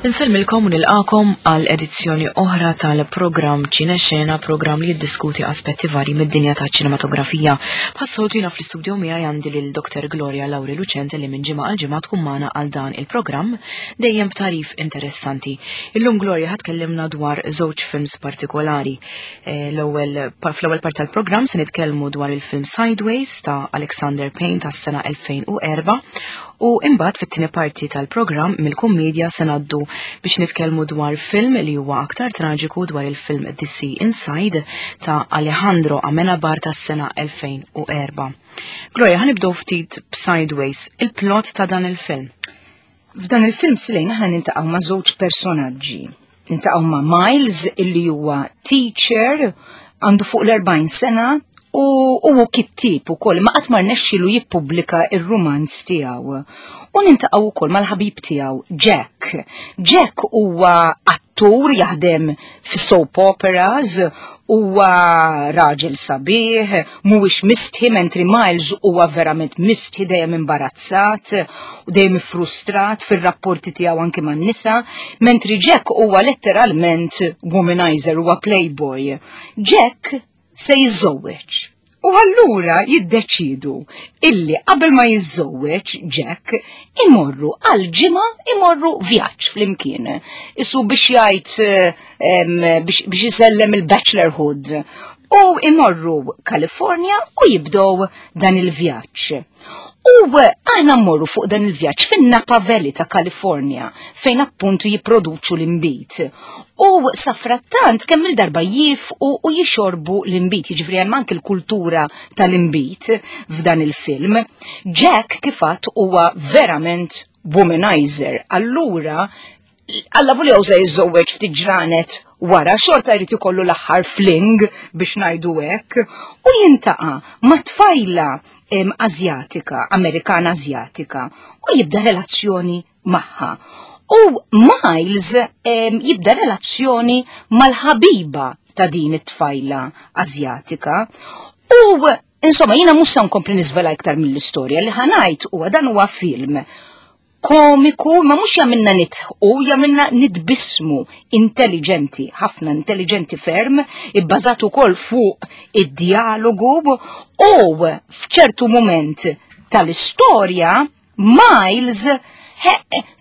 Insellmilkom u nilqakom għal edizzjoni oħra tal-programm Ċinexena, programm li jiddiskuti aspetti varji mid-dinja ta' ċinematografija. Bħas-soltu jiena fl-istudio miegħi għandi lil Dr. Gloria Lauri Lucente li minn ġimgħa għal ġimgħa tkun magħna għal dan il-programm dejjem b'tarif interessanti. Illum Gloria ħa tkellimna dwar żewġ films partikolari. Eh, l-ewwel fl-ewwel part tal-programm se nitkellmu dwar il-film Sideways ta' Alexander Payne tas-sena 2004 u imbagħad fit-tieni parti tal-programm mill-kummedja se ngħaddu biex nitkellmu dwar film li huwa aktar traġiku dwar il-film The Sea Inside ta' Alejandro Amenabar tas-sena 2004. Gloria, ħanibdew ftit b'Sideways, il-plot ta' dan il-film. F'dan il-film Silejn aħna nintaqgħu ma' żewġ personaġġi. Nintaqgħu ma' Miles illi huwa teacher għandu fuq l-40 sena u huwa kittib ukoll ma qatt ma rnexxielu jippubblika ir-rumanz tiegħu. U nintaqgħu wkoll mal-ħabib tiegħu Jack. Jack huwa attur jaħdem fi soap operas huwa raġel sabiħ, mhuwiex mistħi mentri Miles huwa verament mistħi dejjem imbarazzat u dejjem frustrat fir-rapporti tiegħu anki man-nisa, mentri Jack huwa letteralment womanizer, huwa playboy. Jack se jiżżewweġ. U allura jiddeċidu illi qabel ma jiżżewweġ Jack imorru għal ġimgħa imorru vjaġġ flimkien. Isu biex jgħid eh, biex jisellem il-bachelorhood. U imorru Kalifornja u jibdow dan il-vjaġġ. U aħna mmorru fuq dan il-vjaġġ fin-Napa Valley ta' Kalifornja fejn appuntu jipproduċu l-imbit. U safrattant kemm il-darba jifqu u jixorbu l-imbit, jiġifieri hemm anke l-kultura tal-imbit f'dan il-film. Jack kifat huwa verament womanizer. Allura Alla volja se jiżżewweġ ftit ġranet wara xorta jrid ikollu l-aħħar fling biex ngħidu hekk u jintaqa' ma' tfajla Azjatika, Amerikana Azjatika u jibda relazzjoni magħha. U Miles jibda relazzjoni mal-ħabiba ta' din it-tfajla Azjatika u insomma jiena mhux se nkompli niżvela iktar mill-istorja li ħanajt huwa dan huwa film komiku, ma mhux jagħmilna nitħu, jagħmilna nitbissmu intelligenti, ħafna intelligenti ferm, ibbażat ukoll fuq id-dialogu u f'ċertu moment tal-istorja Miles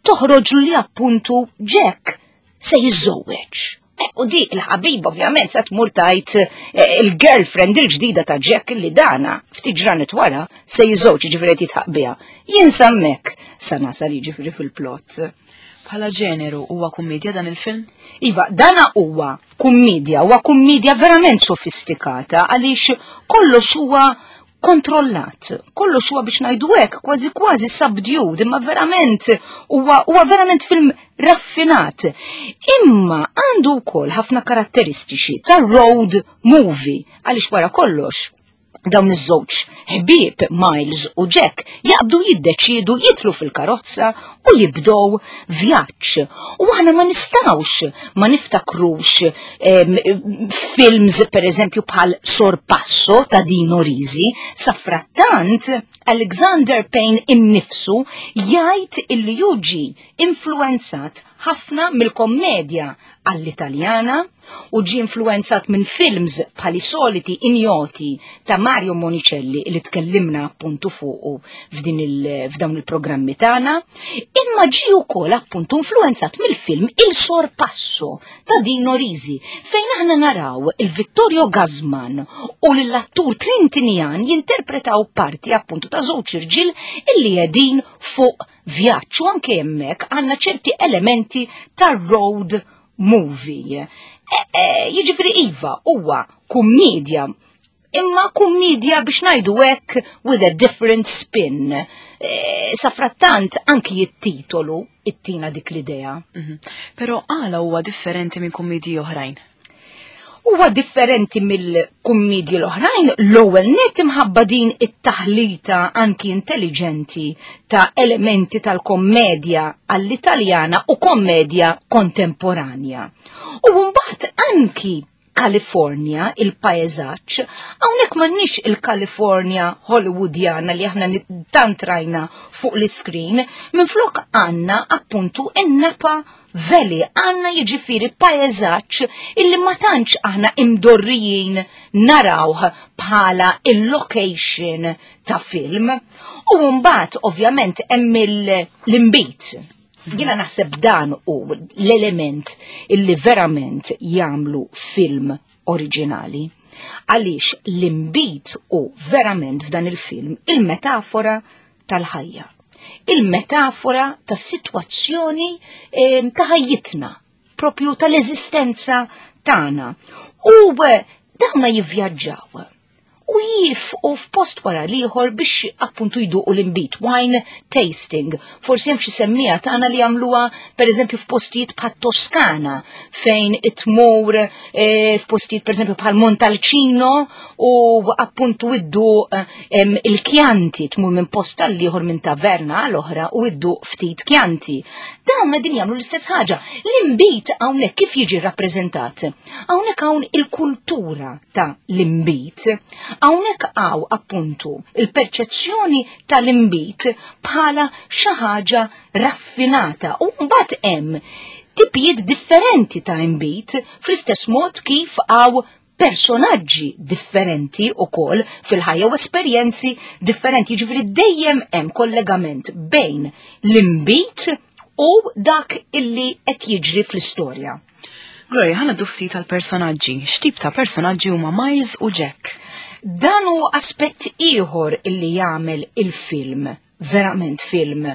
toħroġ li appuntu Jack se jiżżewweġ. Eh, u di il-ħabib ovvjament se tmur tajt eh, il-girlfriend il-ġdida ta' Jack li dana ftit ġranet wara se jiżewġ ġifieri qed jitħaq biha. Jien sammek sa nasal jiġifieri fil-plot. Bħala ġeneru huwa kummedja dan il-film? Iva, dana huwa kummedja, huwa kummedja verament sofistikata għaliex kollox huwa kontrollat. Kollox huwa biex ngħidu hekk kważi kważi subdued, imma verament huwa huwa verament film raffinat. Imma għandu wkoll ħafna karatteristiċi ta' road movie għaliex wara kollox dawn iż-żewġ ħbieb Miles u Jack jaqbdu jiddeċiedu jitlu fil-karozza u jibdow vjaġġ. U aħna ma nistawx ma niftakrux films per eżempju bħal Sorpasso ta' Dino Risi, sa frattant Alexander Payne innifsu jgħid illi juġi influenzat ħafna mill-kommedja għall-Italjana u ġie influenzat minn films bħal I Soliti Ignoti ta' Mario Monicelli li tkellimna appuntu fuqu f'din f'dawn il-programmi tagħna, imma ġie wkoll appuntu influenzat mill-film Il Sorpasso ta' Dino Risi fejn aħna naraw il-Vittorio Gassman u l-attur Trintinian jinterpretaw parti appuntu ta' żewġ irġiel illi qegħdin fuq vjaġġ u anke hemmhekk għandna ċerti elementi ta' road movie. E, e, jiġifieri iva huwa kummedja imma kummedja biex ngħidu hekk with a different spin. E, safrattant anki it-titolu ittina dik l-idea. Mhm. Però għala huwa differenti minn kummedji oħrajn? Huwa differenti mill-kummedji l-oħrajn l-ewwel net imħabba din it-taħlita anki intelligenti ta' elementi tal-kommedja għall-Italjana u kommedja kontemporanja. U mbagħad anki Kalifornja, il-paeżaġġ, hawnhekk m'għandniex il-Kalifornja Hollywoodjana li aħna tant rajna fuq l-iskrin, minflok għandna appuntu in-Napa Valley, għandna jiġifieri paeżaġġ illi ma tantx aħna imdorrijin narawh bħala il-location ta' film. U mbagħad ovvjament hemm l-imbit. Jiena naħseb dan hu l-element illi verament jagħmlu film oriġinali. Għaliex l-imbit hu verament f'dan il-film il-metafora tal-ħajja. Il-metafora tas-sitwazzjoni eh, ta' ħajjitna, propju tal-eżistenza tagħna. U eh, dawna jivvjaġġaw u jifqu f'post wara l-ieħor biex appuntu jduqu l-inbid, wine tasting. Forsi hemm xi semmija tagħna li jagħmluha pereżempju f'postijiet bħat Toskana fejn itmur eh, f'postijiet pereżempju bħal Montalcino u appuntu idduq eh, il-kjanti tmur minn post għal ieħor minn taverna għal oħra u idduq ftit kjanti. Dawn qegħdin jagħmlu l-istess ħaġa. L-inbid hawnhekk kif jiġi rappreżentat? Hawnhekk hawn il-kultura ta' l-imbit. Hawnhekk hawn appuntu il-perċezzjoni tal-imbit bħala xi ħaġa raffinata u mbagħad hemm tipijiet differenti ta' imbit fl-istess mod kif hawn personaġġi differenti u kol fil-ħajja u esperjenzi differenti. Ġifiri dejjem hemm kollegament bejn l-imbit u dak illi qed jiġri fl-istorja. Gloria, ħana ftit tal-personaġġi. X'tip ta' personaġġi huma Miles u Jack? Dan hu aspett ieħor illi jagħmel il-film, verament film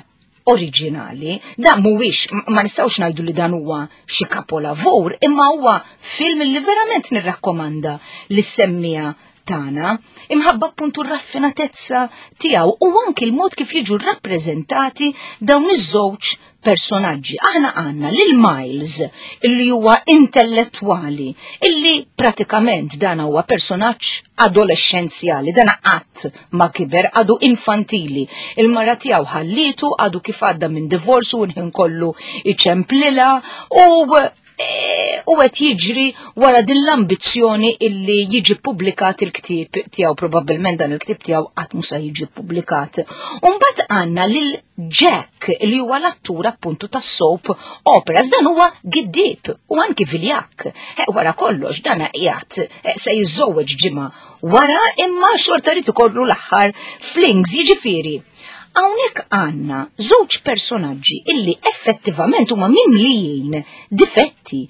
oriġinali. Dan mhuwiex ma nistgħux ngħidu li dan huwa xi kapolavur, imma huwa film li verament nirrakkomanda li semmija tagħna, imħabba appuntu r-raffinatezza tiegħu u anki l-mod kif jiġu rrappreżentati dawn iż-żewġ personaġġi. Aħna għandna lil Miles illi huwa intellettwali, illi pratikament dan huwa personaġġ adolescenzjali, dan qatt ma kiber, għadu infantili. Il-mara tiegħu ħallitu, għadu kif għadda minn divorsu u nħin kollu iċemplila u Eh, u qed jiġri wara din l-ambizzjoni illi jiġi publikat il-ktieb tiegħu probabbilment dan il-ktieb tiegħu qatt mhux se jiġi publikat. Mbagħad għandna lil Jack li huwa l-attur appuntu tas-soap operas dan huwa giddib u anki viljak. Eh, wara kollox dan qiegħed eh, se jiżżewweġ ġimgħa wara imma xorta rid ikollu l-aħħar flings jiġifieri Hawnhekk għandna żewġ personaġġi illi effettivament huma mimlijin difetti,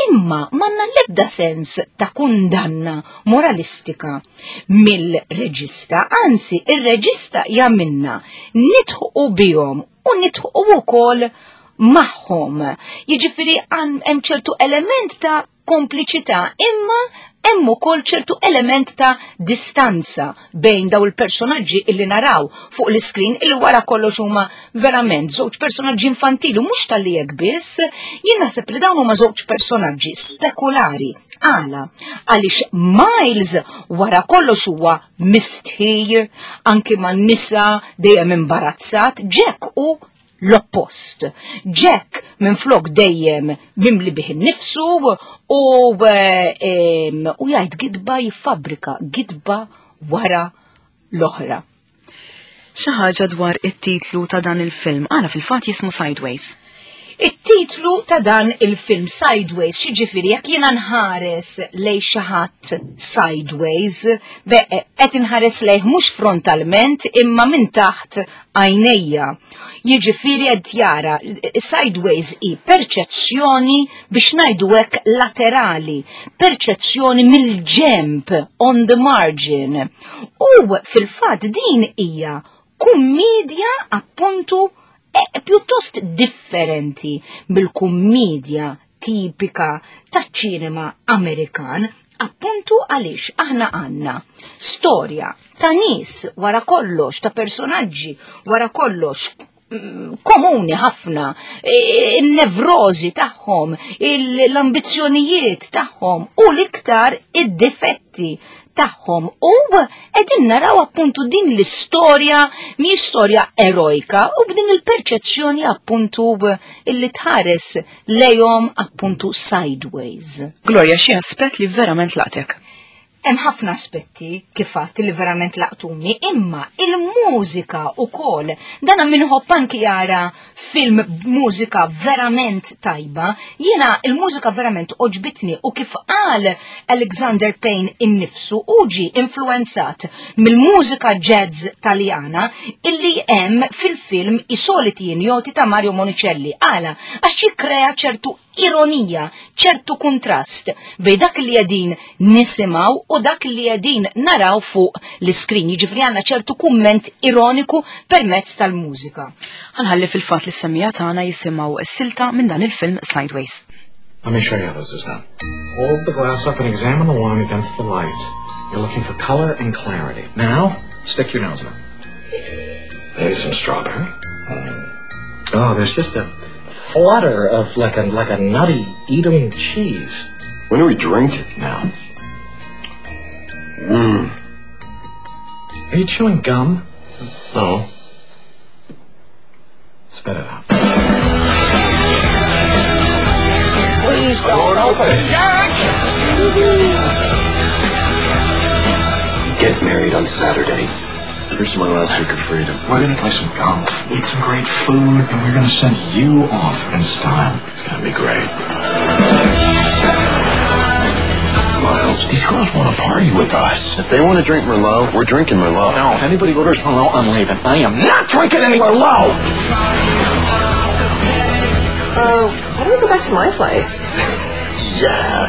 imma m'għandna l-ebda sens ta' kundanna moralistika mill-reġista, anzi ir-reġista jagħmilna nidħqu bihom u nidħqu wkoll magħhom. Jiġifieri hemm ċertu element ta' kompliċità imma hemm ukoll ċertu element ta' distanza bejn daw il-personaġġi illi naraw fuq l-iskrin illi wara kollox huma verament żewġ personaġġi infantili mhux tal-li hekk biss, jien naħseb li dawn huma żewġ personaġġi spekulari. Għala, għaliex Miles wara kollox huwa mistħi, anki man-nisa dejjem imbarazzat, Jack u l-oppost. Jack minflok dejjem mimli bih innifsu u eh, u jgħid gidba jiffabrika gidba wara l-oħra. Xi ħaġa dwar it-titlu ta' dan il-film, għala fil-fatt jismu Sideways. It-titlu ta' dan il-film Sideways, xiġifieri jekk jiena nħares lej xi ħadd sideways, qed inħares lejh mhux frontalment imma minn taħt għajnejja. Jiġifieri qed jara sideways hi perċezzjoni biex ngħidu hekk laterali, perċezzjoni mill-ġemp on the margin. U fil-fatt din hija kummedja appuntu e, pjuttost differenti mill-kummedja tipika taċ-ċinema Amerikan, appuntu għaliex aħna għandna storja ta' nies wara kollox, ta' personaġġi wara kollox mm, komuni ħafna, il-nevrozi tagħhom, l-ambizzjonijiet tagħhom u l-iktar id-difetti tagħhom u qegħdin naraw appuntu din l-istorja mhijiex storja erojka u b'din il-perċezzjoni appuntu illi tħares lejhom appuntu sideways. Gloria, xi aspett li verament laqtek? Hemm ħafna aspetti kif għadt li verament laqtuni, imma il-mużika ukoll. Dan min iħobb anki jara film b'mużika verament tajba. Jiena il-mużika verament għoġbitni u kif qal Alexander Payne innifsu hu ġie influwenzat mill-mużika jazz Taljana illi hemm fil-film I soliti ignoti ta' Mario Monicelli. Għala? Għax jikkrea ċertu ironija, ċertu kuntrast bejn dak li qegħdin nisimgħu u dak li qegħdin naraw fuq l-iskrin. Jiġifieri għandna ċertu kumment ironiku permezz tal-mużika. Ħa nħalli fil-fatt li s-semmiegħa tagħna jisimgħu s-silta minn dan il-film Sideways. Let me show you how this is done. Hold the glass up and examine the wine against the light. You're looking for color and clarity. Now, stick your nose in it. Maybe some strawberry. Oh, there's just a flutter of like a like a nutty Edam cheese. When do we drink it? Now. Are you chewing gum? No. Spit it out. Please don't open. Jack! Get married on Saturday. Here's my last week of freedom. We're gonna play some golf, eat some great food, and we're gonna send you off in style. It's gonna be great. Miles, these girls want to party with us. If they want to drink Merlot, we're drinking Merlot. No, if anybody orders Merlot, I'm leaving. I am not drinking any Merlot! Why don't we go back to my place? Yeah.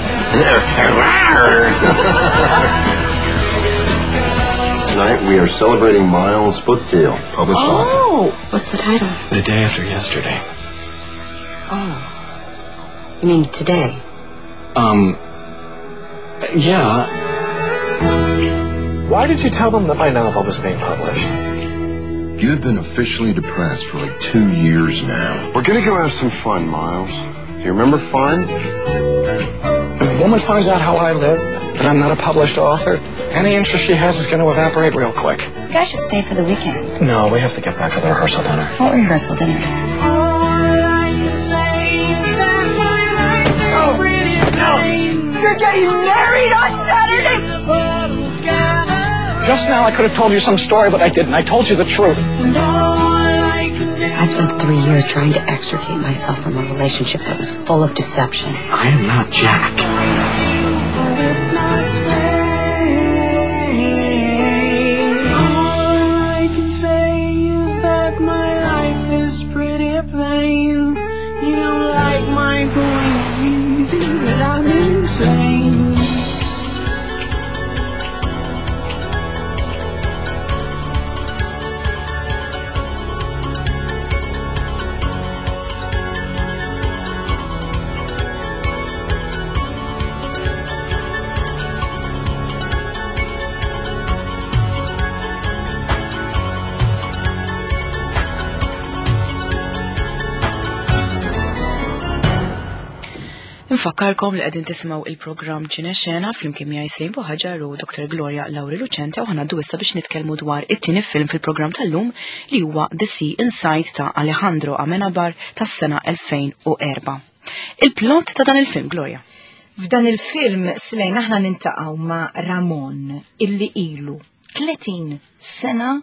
Tonight we are celebrating Miles' book deal, published author. Oh, what's the title? The day after yesterday. Oh, you mean today? Yeah. Why did you tell them that my novel was being published? You have been officially depressed for like 2 years now. We're gonna go have some fun, Miles. Do you remember fun? If a woman finds out how I live, that I'm not a published author, any interest she has is going to evaporate real quick. You guys should stay for the weekend. No, we have to get back for the rehearsal dinner. What rehearsal dinner? You're getting married on Saturday! Just now I could have told you some story, but I didn't. I told you the truth. I spent 3 years trying to extricate myself from a relationship that was full of deception. I am not Jack. Nfakkarkom li qegħdin tisimgħu il-programm Ċinexena flimkien miegħi Slim Buħaġar u Dr. Gloria Lauri Lucente u ħanaddu issa biex nitkellmu dwar it-tieni film fil-programm tal-lum li huwa The Sea Inside ta' Alejandro Amenabar tas-sena 2004. Il-plot ta' dan il-film, Gloria. F'dan il-film, Slejn, aħna nintaqgħu ma' Ramon illi ilu 30 sena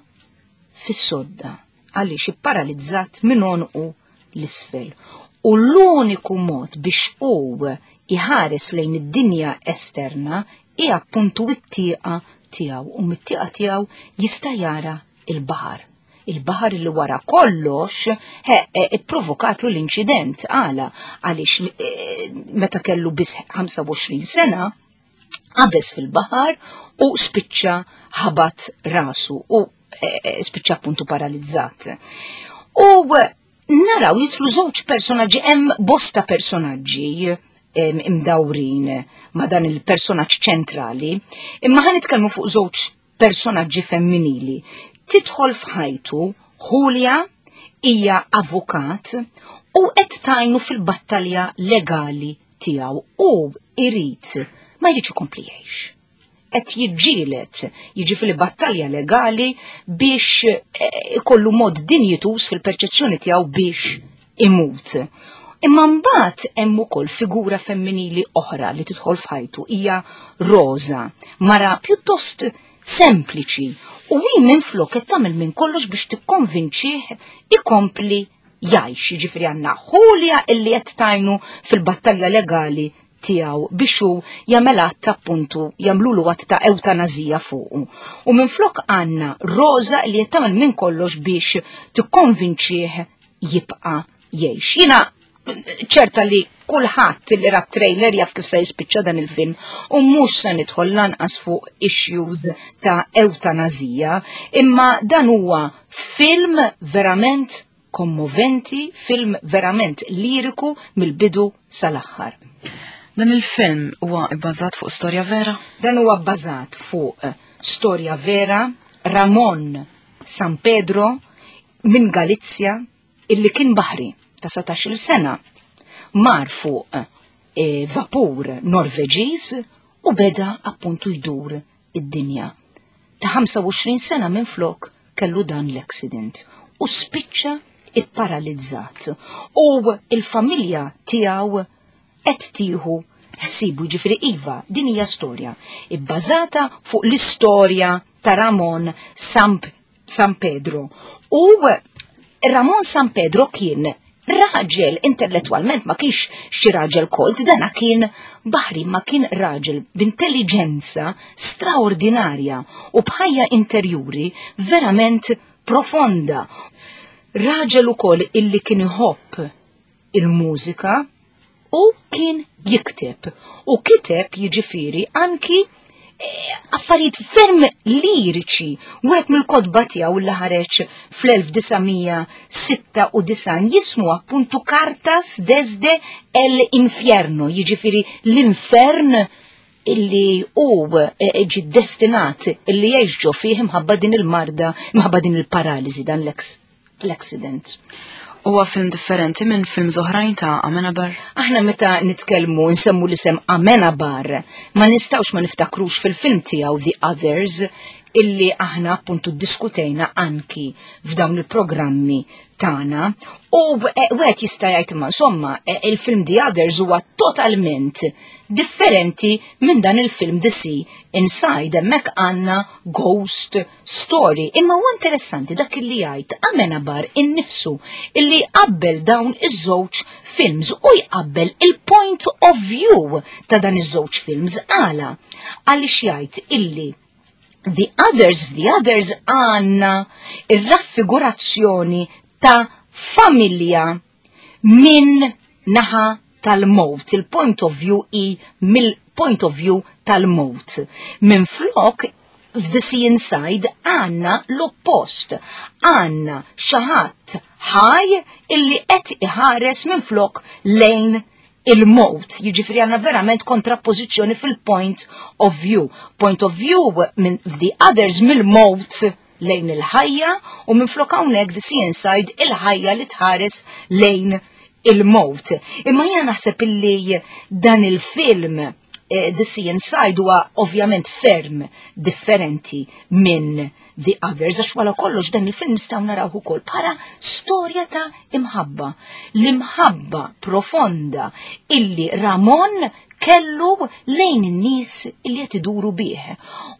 fis-sodda għaliex ipparalizzat minn għonqu l-isfel. U l-uniku mod biex hu iħares lejn id-dinja esterna hija appuntu it-tieqa tiegħu, u mit-tieqa tiegħu jista' jara il-baħar. Il-baħar li wara kollox ipprovokatlu l-inċident. Għala, għaliex meta kellu biss 25 sena qabeż fil-baħar u spiċċa ħabat rasu u spiċċa appuntu paralizzat. U naraw jitlu żewġ personaġġi, hemm bosta personaġġi imdawrin ma' dan il-personaġġ ċentrali, imma ħa nitkellmu fuq żewġ personaġġi femminili. Tidħol f'ħajtu Julia hija avukat u qed tajnu fil-battalja legali tiegħu u irid ma jridx ikompli jgħix. Qed jiġġieled, jiġifieri battalja legali biex ikollu mod dinjituż fil-perċezzjoni tiegħu biex imut. Imma mbagħad hemm ukoll figura femminili oħra li tidħol f'ħajtu hija Rosa, mara pjuttost sempliċi u hi minflok qed tagħmel minn kollox biex tikkonvinċih ikompli jgħix. Jiġifieri għandna Julia illi qed tajnu fil-battalja legali tiegħu biex hu jagħmel att appuntu jagħmlulu att ta' ewtanazija fuqu. U minflok għandna Rosa li qed tagħmel minn kollox biex tikkonvinċih jibqa' jgħix. Jiena ċerta li kulħadd li ra trailer jaf kif se jispiċċa dan il-film u mhux se nidħol lanqas fuq issues ta' ewtanazija, imma dan huwa film verament kommoventi, film verament liriku mill-bidu sal-aħħar. Dan il-film huwa bbażat fuq storja vera? Dan huwa bbażat fuq storja vera, Ramon San Pedro minn Galizja illi kien baħri ta' 17-il sena mar fuq e, vapur Norveġiż u beda appuntu jdur id-dinja. Ta' 25 sena minn flok kellu dan l-accident u spiċċa ipparalizzat u il-familja tiegħu qed tieħu ħsibu ġifieri iva din hija storja ibbażata fuq l-istorja ta' Ramon San, San Pedro. U Ramon San Pedro kien raġel intellettwalment ma kienx xi raġel kolt, dana kien baħri ma kien raġel b'intelligenza straordinarja u b'ħajja interjuri verament profonda. Raġel ukoll illi kien iħobb il-mużika u kien jikteb. U kiteb jiġifieri anki eh, affarijiet ferm liriċi. Wieħed mill-kotba tiegħu li ħareġ fl-1996 jismu appuntu Cartas desde el Infierno, jiġifieri l-infern illi hu eh, ġi destinat illi jgħix ġo fih imħabba din il-marda, imħabba din il-paraliżi dan l-accident. Huwa film differenti minn films oħrajn ta' Amenabar? Aħna meta nitkellmu nsemmu l-isem Amenabar, ma nistgħux ma niftakrux fil-film tiegħu The Others illi aħna appuntu diskutejna anki f'dawn il-programmi tagħna. U eh, wieħed jista' jgħid imma insomma eh, il-film The Others huwa totalment differenti minn dan il-film The Sea Inside. Hemmhekk għandna ghost story. Imma huwa interessanti dak illi jgħid Amenabar innifsu illi jqabbel dawn iż-żewġ films u jqabbel il-point of view ta' dan iż-żewġ films għala għaliex jgħid illi The Others f'The Others għandna ir-raffigurazzjoni ta' familja minn naħa tal-mowt, il-point of view i mill-point of view tal-mowt. Minn flok f'The Sea Inside għanna l-oppost, għanna xaħat ħaj illi qed iħares minn flok lejn il-mowt, jiġifieri għanna verament kontrappożizzjoni fil-point of view. Point of view minn The Others mill-mowt lejn il-ħajja u minflok hawnhekk The Sea Inside il-ħajja li tħares lejn il-mowt. Imma jiena naħseb illi dan il-film eh, The Sea Inside huwa ovvjament ferm differenti minn The Others, għax wara kollox dan il-film nistgħu naraw ukoll bħala storja ta' imħabba. L-imħabba profonda illi Ramon kellu lejn in-nies li qed iduru bih.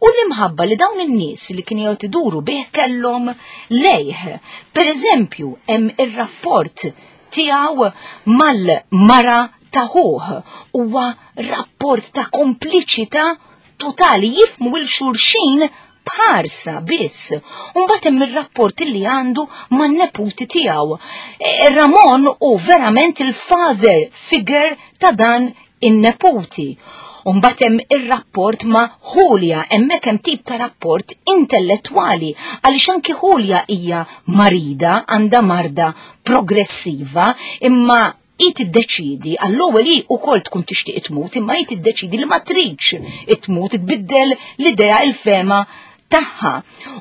U l-imħabba li dawn in-nies li kienu qed iduru bih kellhom lejh. Per eżempju, hemm ir-rapport tiegħu mal-mara ta' ħuh huwa rapport ta' kompliċità totali jifmu il xulxin b'ħarsa biss. U mbagħad hemm ir-rapport li għandu man-neputi tiegħu. E, Ramon hu verament il-father figure ta' dan in-neputi. U mbagħad hemm ir-rapport ma' Julia, hemmhekk hemm tip ta' rapport intellettwali għaliex anki Julia hija marida, għandha marda progressiva, imma hi tiddeċidi, għall-ewwel hi wkoll tkun tixtieq tmut, imma hi tiddeċidi li ma tridx tmut, tbiddel l-idea il-fema tagħha.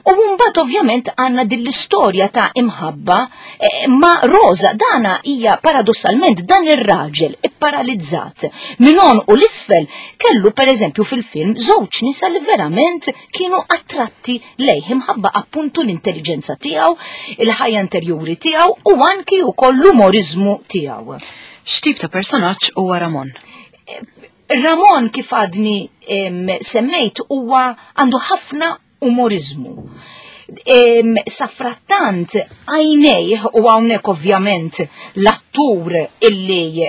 U mbagħad ovvjament għandna din l-istorja ta' imħabba eh, ma' Rosa dana hija paradossalment dan ir-raġel ipparalizzat minn on u l-isfel kellu pereżempju fil-film żewġ nisa li verament kienu attratti lejh imħabba appuntu l-intelligenza tiegħu, il-ħajja interjuri tiegħu u anki wkoll l-umoriżmu tiegħu. X'tip ta' personaġġ huwa Ramon? Ramon kif għadni semmejt huwa għandu ħafna umoriżmu. Safrattant għajnejh u hawnhekk ovvjament l-attur illi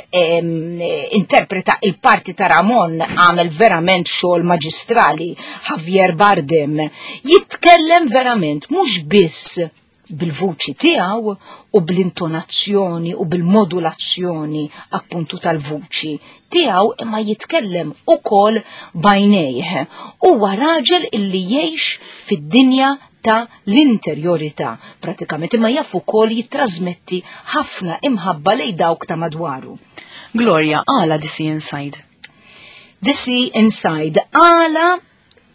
interpreta il-parti ta' Ramon għamel verament xogħol maġistrali Javier Bardem jitkellem verament mhux biss bil-vuċi tiegħu u bl-intonazzjoni u bil-modulazzjoni appuntu tal-vuċi tiegħu imma jitkellem ukoll bajnejh. Huwa raġel illi jgħix fid-dinja ta' l-interjorità pratikament imma jaf ukoll jittrażmetti ħafna imħabba lejn dawk ta' madwaru. Gloria, għala The Sea Inside? The Sea Inside għala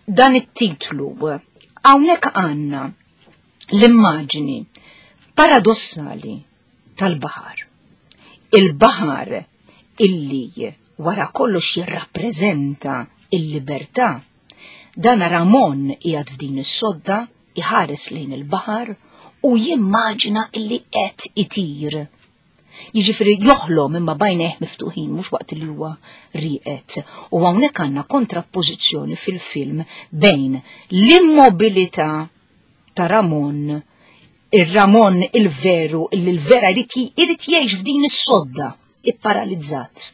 dan it-titlu. Hawnhekk għandna l-immaġni paradossali tal-baħar. Il-baħar illi wara kollox jirrappreżenta il-libertà. Dan Ramon qiegħed f'din is-sodda iħares lejn il-baħar u jimmaġina illi qed itir. Jiġifieri joħlom imma bajnejh miftuħin mhux waqt li huwa rieqed. U hawnhekk għandna kontrappożizzjoni fil-film bejn l-immobilità ta' Ramon, ir-Ramon il-veru, li l-vera jrid jgħix f'din is-sodda ipparalizzat.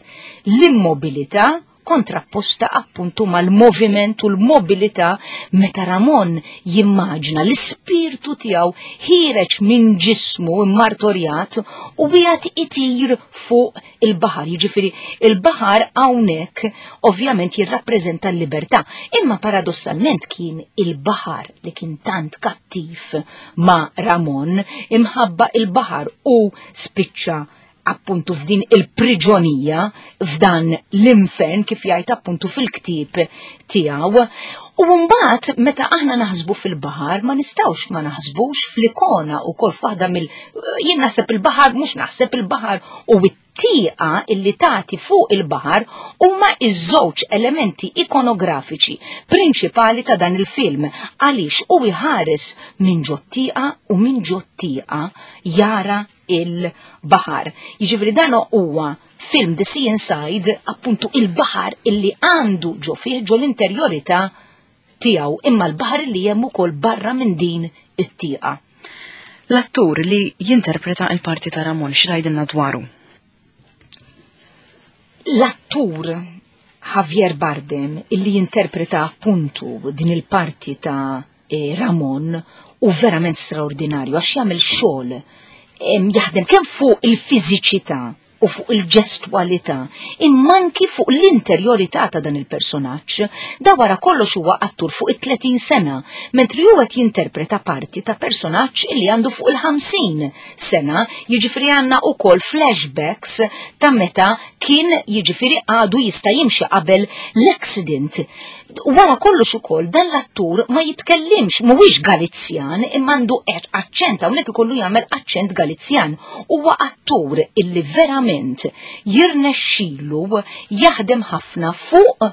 L-immobilità kontrapposta appuntu mal-moviment u l-mobilità meta Ramon jimmaġna l-ispirtu tiegħu ħireġ minn ġismu immartorjat u qiegħed itir fuq il-baħar. Jiġifieri il-baħar hawnhekk ovvjament jirrappreżenta l-libertà, imma paradossalment kien il-baħar li kien tant kattiv ma' Ramon imħabba il-baħar u spiċċa appuntu f'din il-priġonija, f'dan l-infern kif jgħid appuntu fil-ktieb tiegħu. U mbagħad meta aħna naħsbu fil-baħar ma nistgħux ma naħsbux fl-ikona wkoll f'waħda mill jien naħseb il-baħar mhux naħseb il-baħar u t-tieqa illi tagħti fuq il-baħar huma iż-żewġ elementi ikonografiċi prinċipali ta' dan il-film għaliex u jħares minn ġot-tieqa u minn ġot-tieqa jara il-baħar. Jiġifieri dan huwa film The Sea Inside appuntu il-baħar illi għandu ġo fih ġo l-interjorità tiegħu imma l-baħar illi hemm ukoll barra minn din it-tieqa. L-attur li jinterpreta il-parti ta' Ramon xi tgħidilna dwaru? L-attur Javier Bardem illi jinterpreta appuntu din il-parti ta' Ramon u verament straordinarju għax jagħmel xogħol jaħdem kemm fuq il-fiżiċità u fuq il-ġestwalità, imma anki fuq l-interjorità ta' dan il-personaġġ. Da wara kollox huwa attur fuq it-30 sena, mentri huwa qed jinterpreta parti ta' personaġġ li għandu fuq il-50 sena, jiġifieri għandna wkoll flashbacks ta' meta kien jiġifieri għadu jista' jimxi qabel l-accident. Wara kollox ukoll dan l-attur ma jitkellimx, mhuwiex Galizjan imma għandu aċċent hawnhekk ikollu jagħmel aċċent Galizjan. Huwa attur illi verament jirnexxilu jaħdem ħafna fuq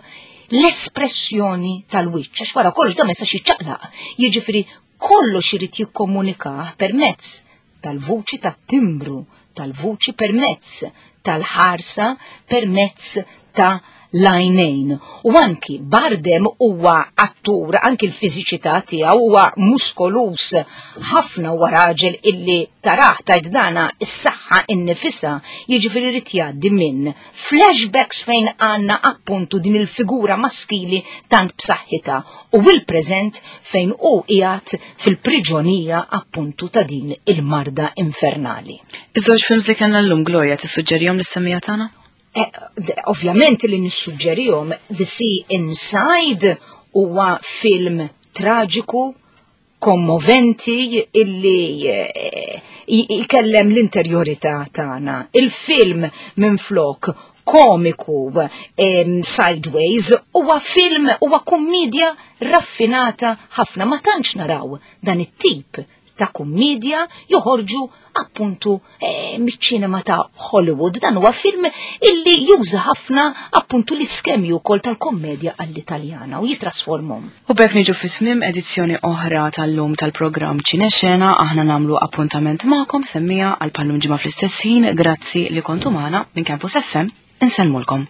l-espressjoni tal-wiċċ, għax wara kollox dan ma jistax jiċċaqlaq. Jiġifieri kollox irid jikkomunikah permezz tal-vuċi tat-timbru tal-vuċi permezz tal-ħarsa permezz ta' l-għajnejn. U anki Bardem huwa attur, anki l-fiżiċità tiegħu huwa muskolus ħafna huwa raġel illi taraħ tajt dana is-saħħa innifisha, jiġifieri rid jgħaddi minn flashbacks fejn għandna appuntu din il-figura maskili tant b'saħħitha u il-preżent fejn hu qiegħed fil-priġonija appuntu ta' din il-marda infernali. Iż-żewġ films li kellna llum Gloria tissuġġerihom lis-semmiegħa tagħna? Ovvjament li nissuġġerihom The Sea Inside huwa film traġiku, kommoventi illi jkellem l-interjorità tagħna. Il-film minflok komiku Sideways huwa film huwa kummedja raffinata ħafna ma tantx naraw dan it-tip ta' kummedja joħorġu appuntu eh, miċ-ċinema ta' Hollywood. Dan huwa film illi juża ħafna appuntu l-iskemi wkoll tal-kommedja għall-Italjana u jitrasformhom. U b'hekk niġu fi tmiem edizzjoni oħra tal-lum tal-programm Ċinexena, aħna nagħmlu appuntament magħkom semmija għal pallum ġimgħa fl-istess ħin, grazzi li kontu magħna minn Campus FM, insellmulkom.